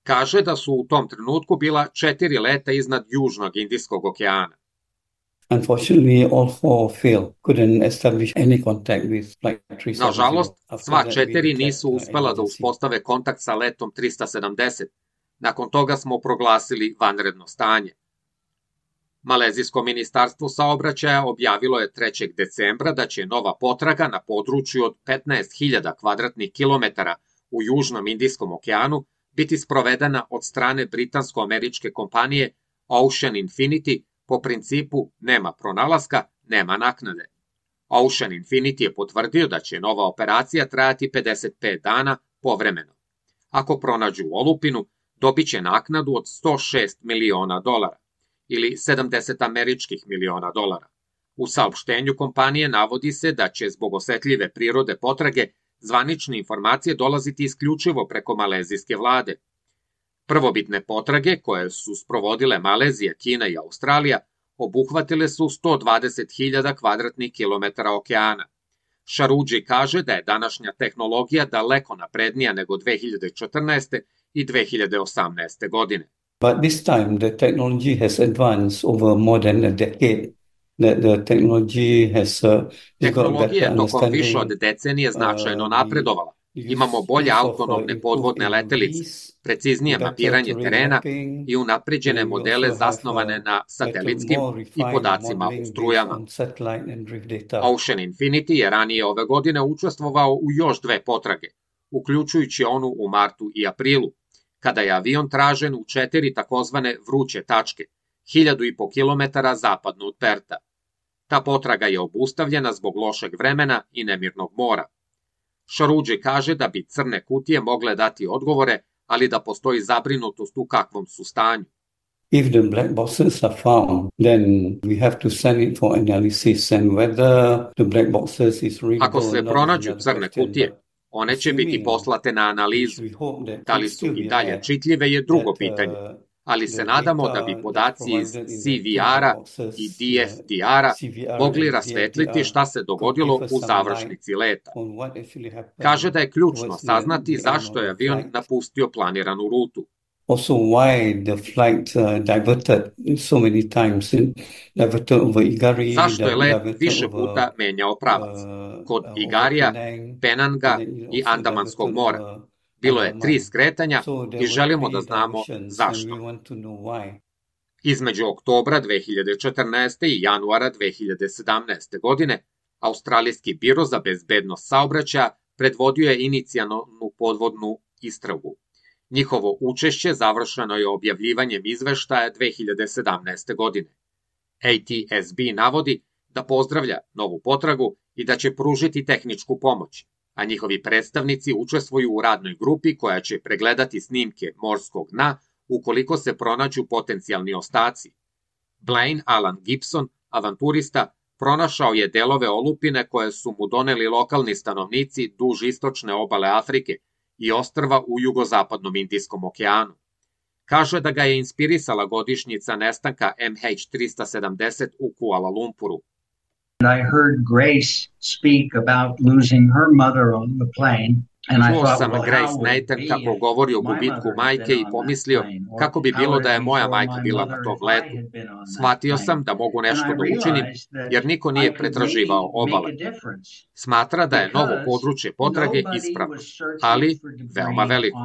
Kaže da su u tom trenutku bila četiri leta iznad Južnog Indijskog okeana. Unfortunately, all four failed. Couldn't establish any contact with flight three seventy. Nažalost, sva četiri nisu uspela da uspostave kontakt sa letom tristo sedamdeset. Nakon toga smo proglasili vanredno stanje. Malezijsko ministarstvo saobraćaja objavilo je trećeg decembra da će nova potraga na području od petnaest hiljada kvadratnih kilometara u Južnom Indijskom okeanu biti sprovedena od strane britansko-američke kompanije Ocean Infinity po principu nema pronalaska, nema naknade. Ocean Infinity je potvrdio da će nova operacija trajati pedeset pet dana povremeno. Ako pronađu olupinu, dobit će naknadu od sto šest miliona dolara ili sedamdeset američkih miliona dolara. U saopštenju kompanije navodi se da će zbog osetljive prirode potrage zvanične informacije dolaziti isključivo preko malezijske vlade. Prvobitne potrage, koje su sprovodile Malezija, Kina i Australija, obuhvatile su sto dvadeset hiljada kvadratnih kilometara okeana. Šaruđi kaže da je današnja tehnologija daleko naprednija nego dve hiljade četrnaeste. i dve hiljade osamnaeste. godine. But this time the technology has advanced over more than a decade. The, the technology has, uh, Tehnologija je tokom više od decenije značajno napredovala. Imamo bolje autonomne podvodne letelice, preciznije mapiranje terena i unapređene modele zasnovane na satelitskim i podacima u strujama. Ocean Infinity je ranije ove godine učestvovao u još dve potrage, uključujući onu u martu i aprilu, kada je avion tražen u četiri takozvane vruće tačke, hiljadu i po kilometara zapadno od Perta. Ta potraga je obustavljena zbog lošeg vremena i nemirnog mora. Šaruđi kaže da bi crne kutije mogle dati odgovore, ali da postoji zabrinutost u kakvom su stanju. If the black boxes are found, then we have to send it for analysis and whether the black boxes is readable. Ako se pronađu crne kutije, one će biti poslate na analizu. Da li su i dalje čitljive je drugo pitanje, ali se nadamo da bi podaci iz C V R-a i D F D R-a mogli rasvetliti šta se dogodilo u završnici leta. Kaže da je ključno saznati zašto je avion napustio planiranu rutu. Also why the flight uh, diverted so many times and diverted over Igari. Zašto je let više puta menjao pravac? Kod Igarija, Penanga i Andamanskog mora. Bilo je tri skretanja i želimo da znamo zašto. Između oktobra dve hiljade četrnaeste. i januara dve hiljade sedamnaeste. godine, Australijski biro za bezbednost saobraćaja predvodio je inicijalnu podvodnu istragu. Njihovo učešće završeno je objavljivanjem izveštaja dve hiljade sedamnaeste. godine. A T S B navodi da pozdravlja novu potragu i da će pružiti tehničku pomoć, a njihovi predstavnici učestvuju u radnoj grupi koja će pregledati snimke morskog dna ukoliko se pronađu potencijalni ostaci. Blaine Alan Gibson, avanturista, pronašao je delove olupine koje su mu doneli lokalni stanovnici duž istočne obale Afrike i ostrva u jugozapadnom Indijskom okeanu. Kaže da ga je inspirisala godišnjica nestanka M H tristo sedamdeset u Kuala Lumpuru. I heard Grace speak about losing her mother on the plane. Čuo sam Grace Nathan kako govori o gubitku majke i pomislio kako bi bilo da je moja majka bila na tom letu. Shvatio sam da mogu nešto da učinim jer niko nije pretraživao obale. Smatra da je novo područje potrage ispravno, ali veoma veliko.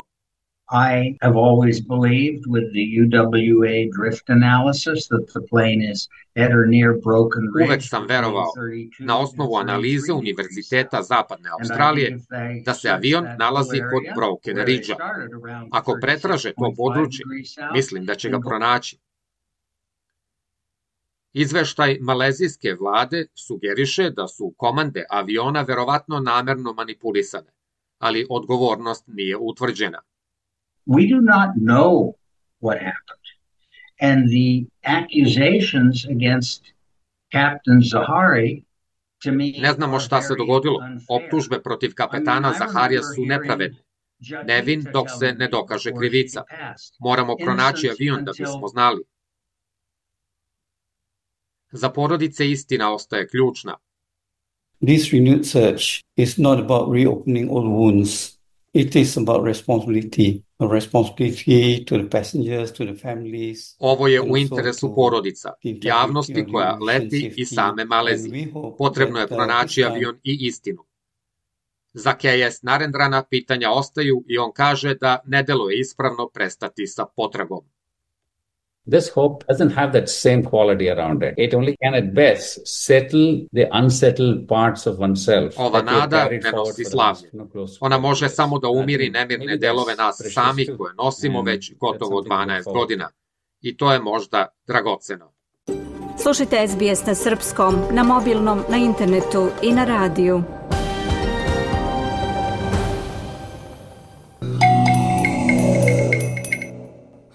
I have always believed with the U W A drift analysis that the plane is at or near Broken Ridge. Uvek sam verovao, na osnovu analize Univerziteta Zapadne Australije, da se avion nalazi kod Broken Ridge-a. Ako pretraže to područje, mislim da će ga pronaći. Izveštaj malezijske vlade sugeriše da su komande aviona verovatno namerno manipulisane, ali odgovornost nije utvrđena. We do not know what happened. And the accusations against Captain Zahari, to me, ne znamo šta se dogodilo. Optužbe protiv kapetana Zaharija su nepravedne. Nevin dok se ne dokaže krivica. Moramo pronaći avion da bismo znali. Za porodice istina ostaje ključna. This renewed search is not about reopening old wounds. It is about responsibility, a responsibility to the passengers, to the families. Ovo je u interesu porodica, javnosti koja leti i same Malezije. Potrebno je pronaći avion i istinu. Za K S Narendrana pitanja ostaju i on kaže da ne deluje ispravno prestati sa potragom. This hope doesn't have that same quality around it. It only can at best settle the unsettled parts of oneself. Ova nada ne nosi slavlje. Ona može samo da umiri nemirne delove nas samih koje nosimo već gotovo dvanaest godina. I to je možda dragoceno. Slušajte S B S na srpskom, na mobilnom, na internetu i na radiju.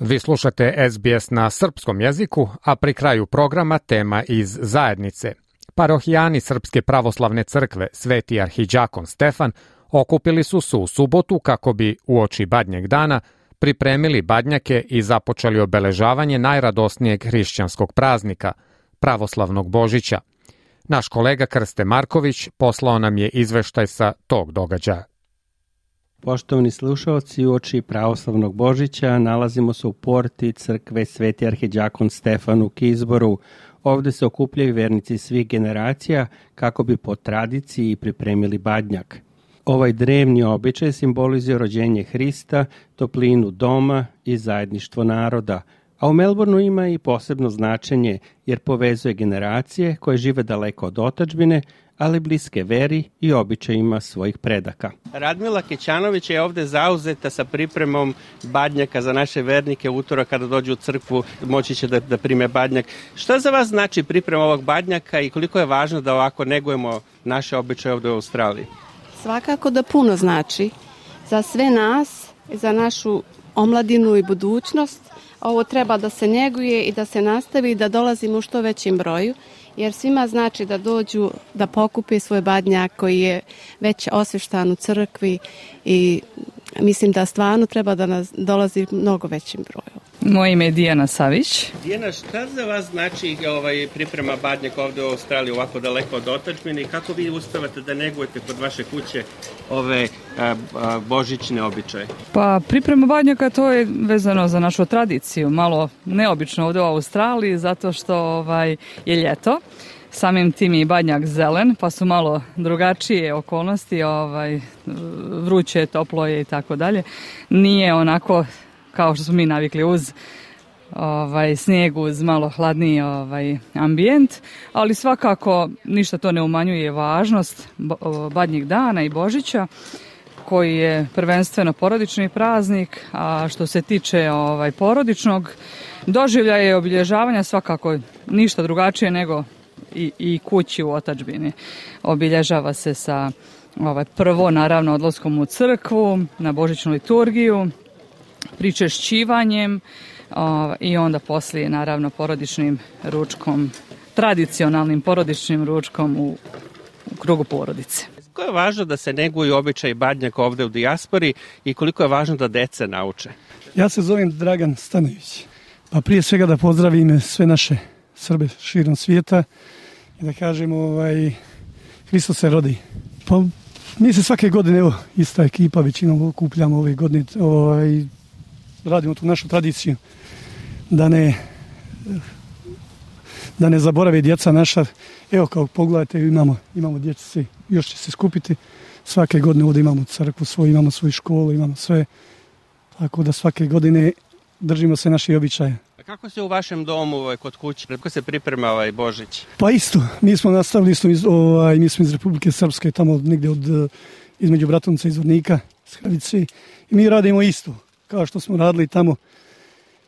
Vi slušate S B S na srpskom jeziku, a pri kraju programa tema iz zajednice. Parohijani Srpske pravoslavne crkve Sveti arhidžakon Stefan okupili su se u subotu kako bi uoči Badnjeg dana pripremili badnjake i započeli obeležavanje najradosnijeg hrišćanskog praznika, pravoslavnog Božića. Naš kolega Krste Marković poslao nam je izveštaj sa tog događaja. Poštovani slušalci, uoči pravoslavnog Božića nalazimo se u porti crkve Sveti arhidžakon Stefan u Kizboru. Ovde se okupljaju vernici svih generacija kako bi po tradiciji pripremili badnjak. Ovaj drevni običaj simbolizuje rođenje Hrista, toplinu doma i zajedništvo naroda, a u Melbourneu ima i posebno značenje jer povezuje generacije koje žive daleko od otadžbine, ali bliske veri i običajima svojih predaka. Radmila Kećanović je ovde zauzeta sa pripremom badnjaka za naše vernike. Utorak kada dođu u crkvu moći će da, da prime badnjak. Šta za vas znači priprema ovog badnjaka i koliko je važno da ovako negujemo naše običaje ovde u Australiji? Svakako da puno znači za sve nas, za našu omladinu i budućnost. Ovo treba da se njeguje i da se nastavi i da dolazimo u što većim broju, jer svima znači da dođu da pokupe svoj badnjak koji je već osveštan u crkvi i mislim da stvarno treba da nas dolazi mnogo većim broju. Moje ime je Dijana Savić. Dijana, šta za vas znači ovaj, priprema badnjaka ovde u Australiji ovako daleko od otadžbine i kako vi uspevate da negujete kod vaše kuće ove a, a, božićne običaje? Pa priprema badnjaka to je vezano za našu tradiciju, malo neobično ovde u Australiji zato što ovaj, je ljeto. Samim tim i badnjak zelen, pa su malo drugačije okolnosti, ovaj, vruće, toplo je i tako dalje. Nije onako kao što smo mi navikli uz ovaj, snijeg uz malo hladniji ovaj, ambijent, ali svakako ništa to ne umanjuje važnost Badnjeg dana i Božića, koji je prvenstveno porodični praznik, a što se tiče ovaj, porodičnog doživljaja i obilježavanja, svakako ništa drugačije nego i, i kući u otadžbini. Obilježava se sa ovaj, prvo naravno odlaskom u crkvu, na božićnu liturgiju, pričešćivanjem ovaj, i onda poslije naravno porodičnim ručkom, tradicionalnim porodičnim ručkom u, u krugu porodice. Koliko je važno da se neguju običaji Badnjaka ovde u dijaspori i koliko je važno da deca nauče? Ja se zovem Dragan Stanović. Pa prije svega da pozdravim sve naše Srbe širom svijeta i da kažemo ovaj, Hristos se rodi. Pa mi se svake godine, evo, ista ekipa, većinom okupljamo ove godine, ovaj, radimo tu našu tradiciju da ne da ne zaborave djeca naša. Evo, kao pogledajte, imamo, imamo djeci, još će se skupiti. Svake godine ovdje imamo crkvu svoju, imamo svoju školu, imamo sve. Tako da svake godine držimo se naših običaja. A kako se u vašem domu, ovaj, kod kuće, kako se priprema ovaj Božić? Pa isto, mi smo nastavili isto, iz, ovaj, mi smo iz Republike Srpske, tamo negdje od, između Bratunca i Zvornika, s Hrvice. I mi radimo isto, kao što smo radili tamo.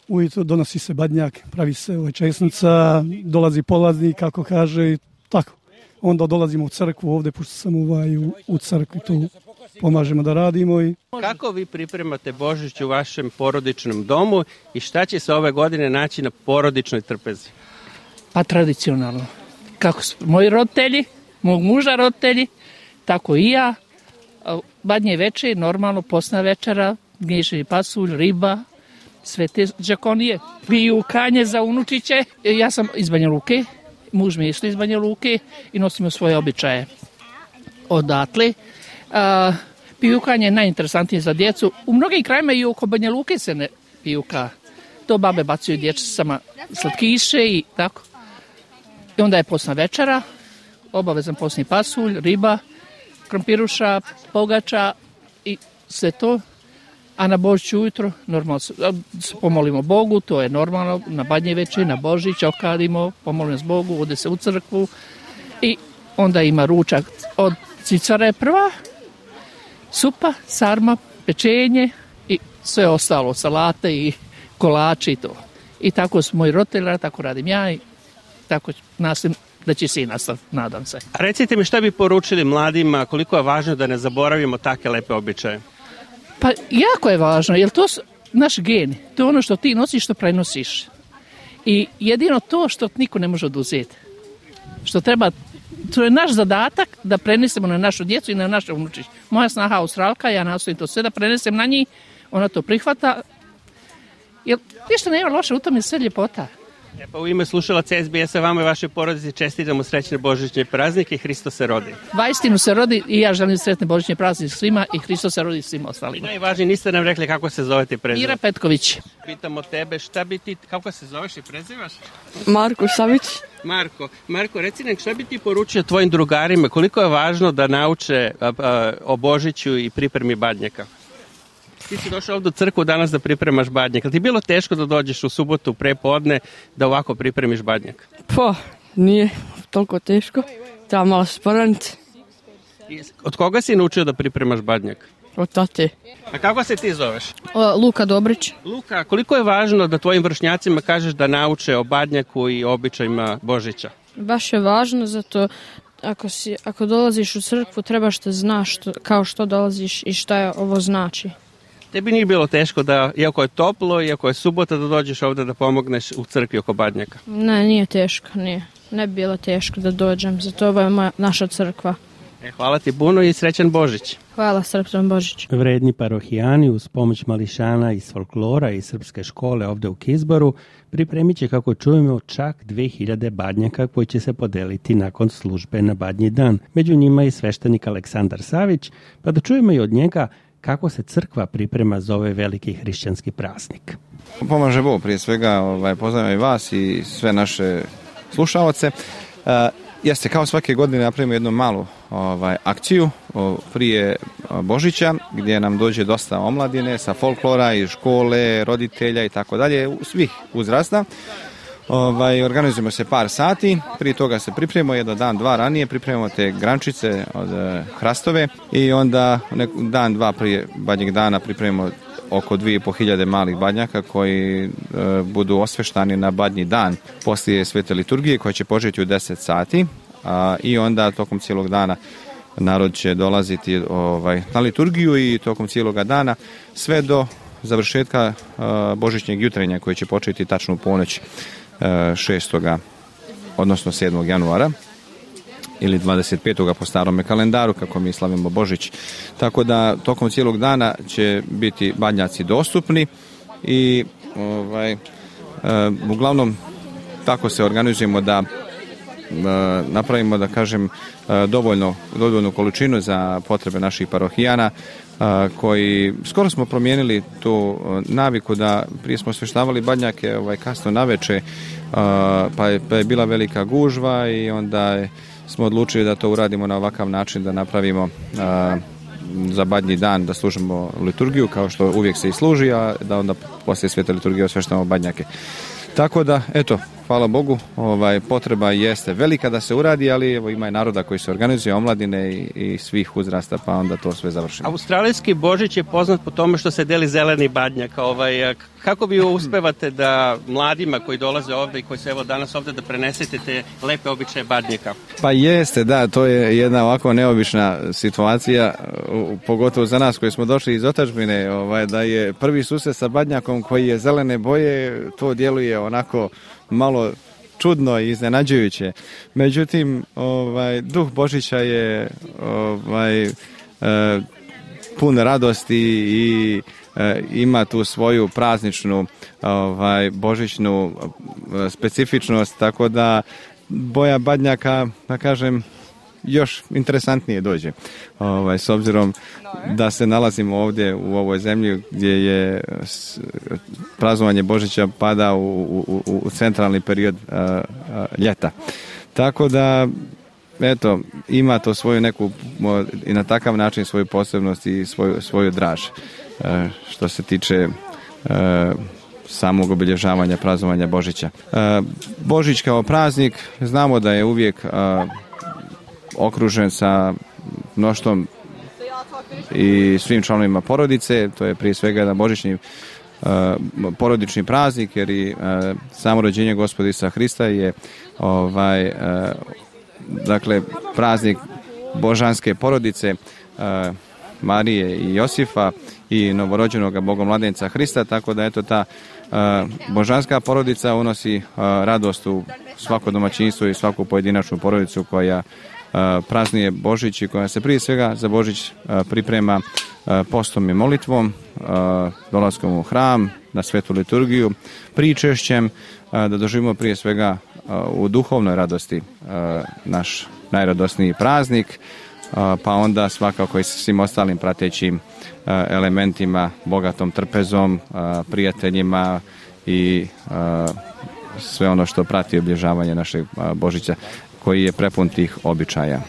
Ujutro donosi se badnjak, pravi se ovaj česnica, dolazi polaznik, kako kaže, tako. Onda dolazimo u crkvu ovdje, pošto sam ovaj, u, u crkvi, tu pomažemo da radimo. I... Kako vi pripremate Božić u vašem porodičnom domu i šta će se ove godine naći na porodičnoj trpezi? Pa tradicionalno. Kako su moji roditelji, mog muža roditelji, tako i ja. Badnje večer, normalno, posna večera, gnješeni pasulj, riba, sve te džakonije. Piju kanje za unučiće. Ja sam iz Banja Luke, muž mi je isto iz Banja Luke i nosimo svoje običaje odatle. Uh, pijukanje je najinteresantnije za djecu. U mnogim krajima i oko Banja Luke se ne pijuka. To babe bacaju dječicama slatkiše i tako. I onda je posna večera, obavezan posni pasulj, riba, krompiruša, pogača i sve to. A na Božić ujutro normalno se pomolimo Bogu, to je normalno, na Badnje večer, na Božić okadimo, pomolimo se Bogu, ode se u crkvu i onda ima ručak od cicare prva, supa, sarma, pečenje i sve ostalo, salate i kolači i to. I tako su moji roditelji, tako radim ja i tako nastavim da će se i nastaviti, nadam se. A recite mi šta bi poručili mladima, koliko je važno da ne zaboravimo take lepe običaje? Pa jako je važno, jer to su naši geni, to je ono što ti nosiš, što prenosiš. I jedino to što niko ne može oduzeti. Što treba, to je naš zadatak da prenesemo na našu djecu i na naše unučiće. Moja snaha Australka, ja nastojim to sve da prenesem na njih, ona to prihvata. Jer ništa nema loše, u tom je sve ljepota. E pa u ime slušalaca S B S-a vama i vašoj porodici čestitamo srećne božićne praznike i Hristos se rodi. Vaistinu se rodi i ja želim sretne božićne praznike svima i Hristos se rodi svima ostalima. Najvažnije, niste nam rekli kako se zovete i prezivate. Ira Petković. Pitamo tebe šta bi ti, kako se zoveš i prezivaš? Marko Savić. Marko, Marko, reci nam šta bi ti poručio tvojim drugarima, koliko je važno da nauče a, a, o Božiću i pripremi badnjaka? Ti si došao ovdje u crkvu danas da pripremaš badnjak. Ali ti je bilo teško da dođeš u subotu prepodne da ovako pripremiš badnjak? Pa, nije toliko teško. Treba malo sporaniti. Od koga si naučio da pripremaš badnjak? Od tate. A kako se ti zoveš? O, Luka Dobrić. Luka, koliko je važno da tvojim vršnjacima kažeš da nauče o badnjaku i običajima Božića? Baš je važno, zato ako, si, ako dolaziš u crkvu trebaš da znaš što, kao što dolaziš i šta je ovo znači. Tebi nije bilo teško da, iako je toplo, iako je subota, da dođeš ovdje da pomogneš u crkvi oko badnjaka? Ne, nije teško, nije. Ne bi bilo teško da dođem, zato ovo je moja, naša crkva. E, hvala ti puno i srećan Božić. Hvala, srećan Božić. Vredni parohijani uz pomoć mališana iz folklora i srpske škole ovdje u Kizboru pripremit će, kako čujemo, čak dve hiljade badnjaka koji će se podeliti nakon službe na Badnji dan. Među njima i sveštenik Aleksandar Savić, pa da čujemo i od njega kako se crkva priprema za ovaj veliki hrišćanski praznik. Pomaže Bog, prije svega ovaj, pozdravljam i vas i sve naše slušalce. Uh, jeste, kao svake godine napravimo jednu malu ovaj, akciju o, prije Božića, gdje nam dođe dosta omladine sa folklora i škole, roditelja i tako dalje, svih uzrasta. Ovaj, organizujemo se par sati, prije toga se pripremimo jedan dan, dva ranije, pripremimo te grančice od hrastove i onda dan, dva prije badnjeg dana pripremimo oko dvije i po hiljade malih badnjaka koji e, budu osveštani na badnji dan poslije svete liturgije koja će početi u deset sati a, i onda tokom cijelog dana narod će dolaziti ovaj, na liturgiju i tokom cijeloga dana sve do završetka e, božićnjeg jutrenja koji će početi tačno u ponoć e, šestoga odnosno sedmog januara ili dvadeset petog po starome kalendaru kako mi slavimo Božić. Tako da tokom cijelog dana će biti badnjaci dostupni i ovaj, e, uglavnom tako se organizujemo da e, napravimo da kažem e, dovoljno, dovoljnu količinu za potrebe naših parohijana e, koji skoro smo promijenili tu naviku da prije smo osveštavali badnjake ovaj, kasno naveče e, pa, je, pa je bila velika gužva i onda je smo odlučili da to uradimo na ovakav način, da napravimo a, za badnji dan da služimo liturgiju kao što uvijek se i služi, a da onda poslije svete liturgije osveštamo badnjake. Tako da, eto, hvala Bogu, ovaj, potreba jeste velika da se uradi, ali evo, ima i naroda koji se organizuje, omladine i, i svih uzrasta, pa onda to sve završimo. Australijski Božić je poznat po tome što se deli zeleni badnjak. Ovaj, kako vi uspevate da mladima koji dolaze ovde i koji se evo danas ovde da prenesete te lepe običaje badnjaka? Pa jeste, da, to je jedna ovako neobična situacija, pogotovo za nas koji smo došli iz otadžbine, ovaj, da je prvi susret sa badnjakom koji je zelene boje, to djeluje onako malo čudno i iznenađujuće. Međutim, ovaj, duh Božića je ovaj, e, pun radosti i e, ima tu svoju prazničnu ovaj, božićnu specifičnost, tako da boja badnjaka, da kažem, još interesantnije dođe. Ovaj, s obzirom da se nalazimo ovdje u ovoj zemlji gdje je praznovanje Božića pada u, u, u centralni period a, a, ljeta. Tako da, eto, ima to svoju neku, i na takav način svoju posebnost i svoju, svoju draž. A, što se tiče a, samog obilježavanja praznovanja Božića. A, Božić kao praznik, znamo da je uvijek a, okružen sa mnoštvom i svim članovima porodice, to je prije svega jedan božićni uh, porodični praznik, jer i uh, samo rođenje Gospoda Isusa Hrista je ovaj, uh, dakle praznik božanske porodice uh, Marije i Josifa i novorođenog bogomladenca Hrista, tako da eto ta uh, božanska porodica unosi uh, radost u svako domaćinstvo i svaku pojedinačnu porodicu koja praznuje Božić i koja se prije svega za Božić priprema postom i molitvom, dolaskom u hram, na svetu liturgiju, pričešćem, da doživimo prije svega u duhovnoj radosti naš najradosniji praznik, pa onda svakako i sa svim ostalim pratećim elementima, bogatom trpezom, prijateljima i sve ono što prati obilježavanje našeg Božića, koji je prepun tih običaja.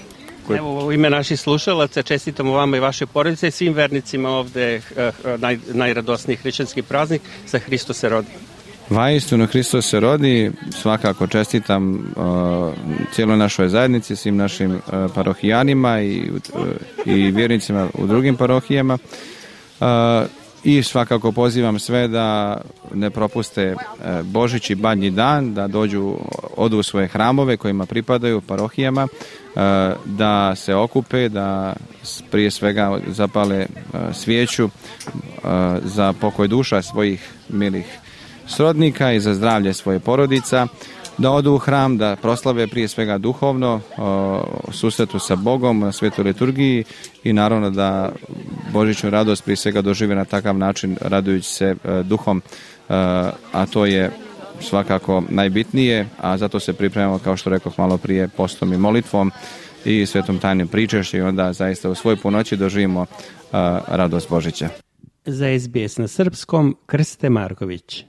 Evo, u ime naših slušalaca čestitamo vama i vaše porodice i svim vernicima ovde naj, najradosniji hrišćanski praznik za Hristos se rodi. Vaistinu Hristos se rodi, svakako čestitam uh, cijeloj našoj zajednici, svim našim uh, parohijanima i, uh, i vjernicima u drugim parohijama. Uh, I svakako pozivam sve da ne propuste Božić i badnji dan, da dođu, odu u svoje hramove kojima pripadaju parohijama, da se okupe, da prije svega zapale svijeću za pokoj duša svojih milih srodnika i za zdravlje svoje porodica, da odu u hram, da proslave prije svega duhovno o susretu sa Bogom na svetoj liturgiji i naravno da božićnu radost prije svega dožive na takav način radujući se e, duhom, e, a to je svakako najbitnije, a zato se pripremamo, kao što rekoh malo prije, postom i molitvom i svetom tajnim pričešćem i onda zaista u svoj punoći doživimo e, radost Božića. Za es be es na srpskom, Krste Marković.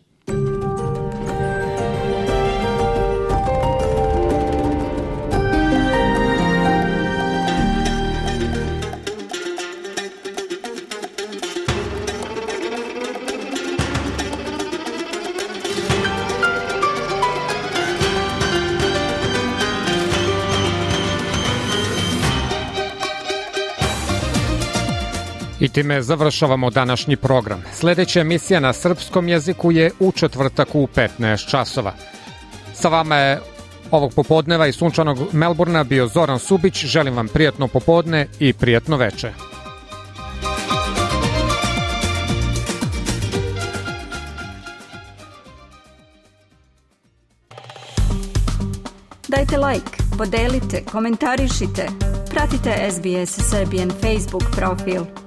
I time završavamo današnji program. Sljedeća emisija na srpskom jeziku je u četvrtak u petnaest časova. Sa vama je ovog popodneva iz sunčanog Melburna bio Zoran Subić. Želim vam prijatno popodne i prijatno veče. Dajte like, podelite, komentarišite, pratite S B S Serbian Facebook profil.